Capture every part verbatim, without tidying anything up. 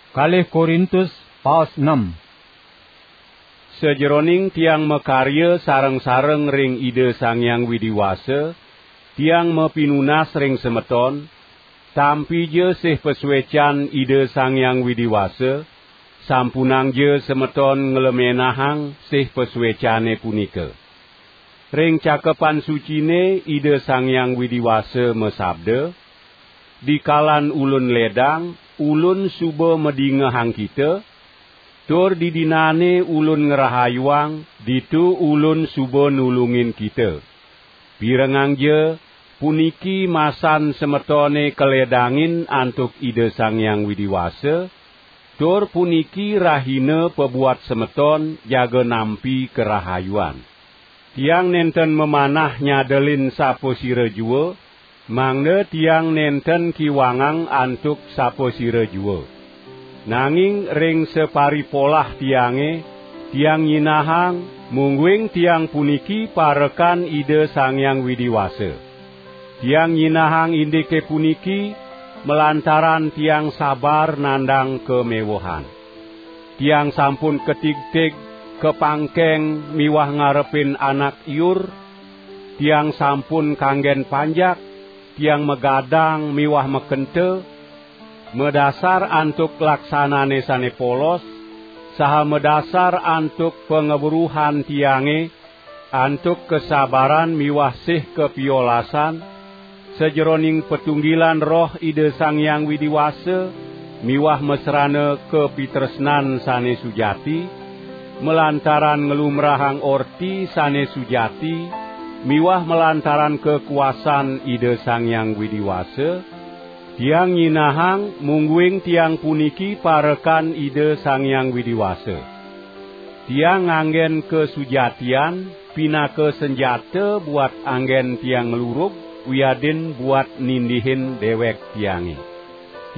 Kalih Korintus, paos enam. Sajeroning tiang makarya sareng-sareng ring Ida Sang Hyang Widi Wasa, tiang mapinunas ring semeton, tampija sih pasuecan Ida Sang Hyang Widi Wasa, sampunangja semeton nglemenahang sih pasuecane punika. Ring Cakepan Sucine Ida Sang Hyang Widi Wasa masabda, "Dikalan ulun ledang, ulun suba madingehang kita, tur didinane ulun ngrahayuang, ditu ulun suba nulungin kita." Pirengangja, puniki masan semetone kaledangin antuk Ida Sang Hyang Widi Wasa, tur puniki rahina pabuat semeton jaga nampi karahayuan. Tiang nenten mamanah nyadelin sapasira jua, mangda tiang nenten kiwangang antuk sapasira jua. Nanging ring saparipolah tiange, tiang nyinahang, mungguing tiang puniki parekan Ida Sang Hyang Widi Wasa. Tiang nyinahang indike puniki, malantaran tiang sabar nandang kamewehan. Tiang sampun katigtig, kapangkeng miwah ngarepin anak iur. Tiang sampun kanggen panjak, tiang magadang miwah makenta, madasar antuk laksanane sane polos, saha madasar antuk pangweruhan tiange, antuk kasabaran miwah sih kapiolasan, sajeroning patunggilan Roh Ida Sang Hyang Widi Wasa, miwah masrana kapitresnan sane sujati, malantaran nglumbrahang orti sane sujati, miwah malantaran kakuasan Ida Sang Hyang Widi Wasa, tiang nyinahang, mungguing tiang puniki parekan Ida Sang Hyang Widi Wasa. Tiang nganggen kasujatian pinaka sanjata buat anggen tiang nglurug wiadin buat nindihin dewek tiange.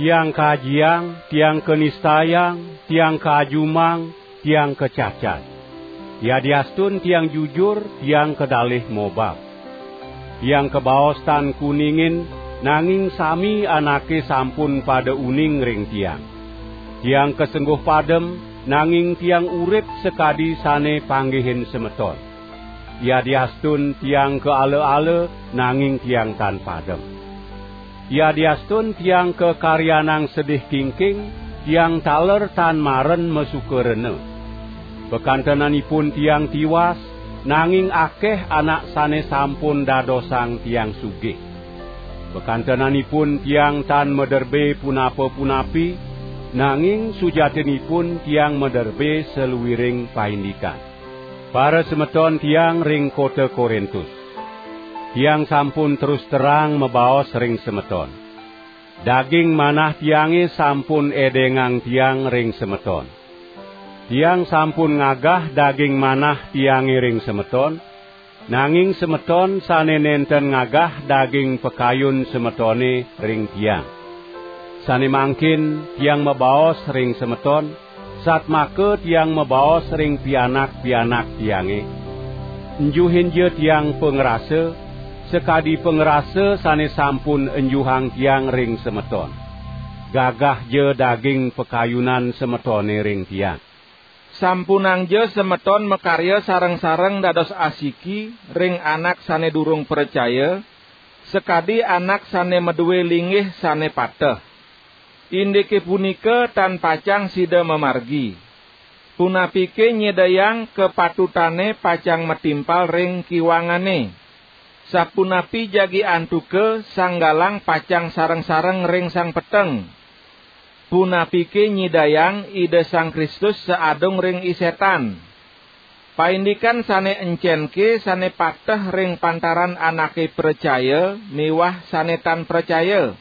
Tiang kajiang, tiang kanistayang, tiang kaajumang, tiang kacacad. Yadiastun tiang jujur, tiang kadalih mobab. Tiang kabaos tan kuningin, nanging sami anake sampun pada uning ring tiang. Tiang kasengguh padem, nanging tiang urip sakadi sane panggihin semeton. Yadiastun tiang kaala-ala, nanging tiang tan padem. Yadiastun tiang kakaryanang sedih kingking, tiang taler tan maren masuka rena. Pakantenanipun tiang tiwas, nanging akeh anak sane sampun dadosang tiang sugih. Pakantenanipun tiang tan maderbe punapa-punapi, nanging sujatinipun tiang maderbe saluiring paindikan. Parasemeton tiang ring kota Korintus. Tiang sampun terus terang mabaos ring semeton. Daging manah tiange sampun edengang tiang ring semeton. Tiang sampun ngagah daging manah tiange ring semeton, nanging semeton sane nenten ngagah daging pakayun semetone ring tiang. Sane mangkin tiang mabaos ring semeton, satmaka tiang mabaos ring pianak-pianak tiange. Enjuhinja tiang pangrasa, sakadi pangrasa sane sampun enjuhang tiang ring semeton. Gagahja daging pakayunan semetone ring tiang. Sampunangja semeton makarya sareng-sareng dados asiki ring anak sane durung pracaya, sakadi anak sane madue linggih sane pateh. Indike punika tan pacang sida mamargi. Punapike nyidayang kapatutane pacang matimpal ring kiwangane? Sapunapi jagi antuka sang galang pacang sareng-sareng ring sang peteng? Punapike nyidayang Ida Sang Kristus saadung ring isetan? Paindikan sane encenke sane pateh ring pantaran anake pracaya miwah sane tan pracaya?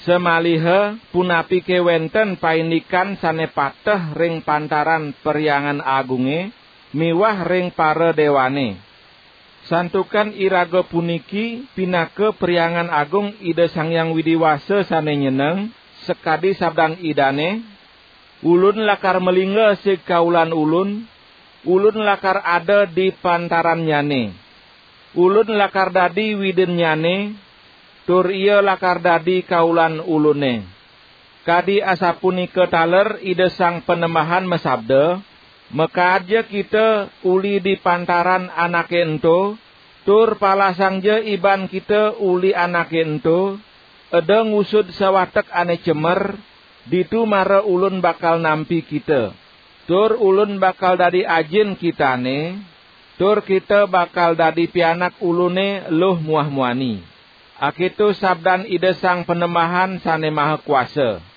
Samaliha punapike wenten paindikan sane pateh ring pantaran Perhyangan Agunge miwah ring para dewane? Santukan iraga puniki pinaka Perhyangan Agung Ida Sang Hyang Widi Wasa sane nyeneng, sakadi sabdan Idane, "Ulun lakar malingga sig kaulan Ulun, Ulun lakar ada di pantarannyane. Ulun lakar dadi Widinnyane, tur ia lakar dadi kaulan Ulune." Kadi asapunika taler Ida Sang Panembahan masabda, "Makaadja kita uli di pantaran anake ento, tur palasangja iban kita uli anake ento, eda ngusud sawatek ane cemer, ditu mara Ulun bakal nampi kita. Tur Ulun bakal dadi Ajin kitane, tur kita bakal dadi pianak Ulune luh muah muani." Aketo sabdan Ida Sang Panembahan Sane Maha Kuasa.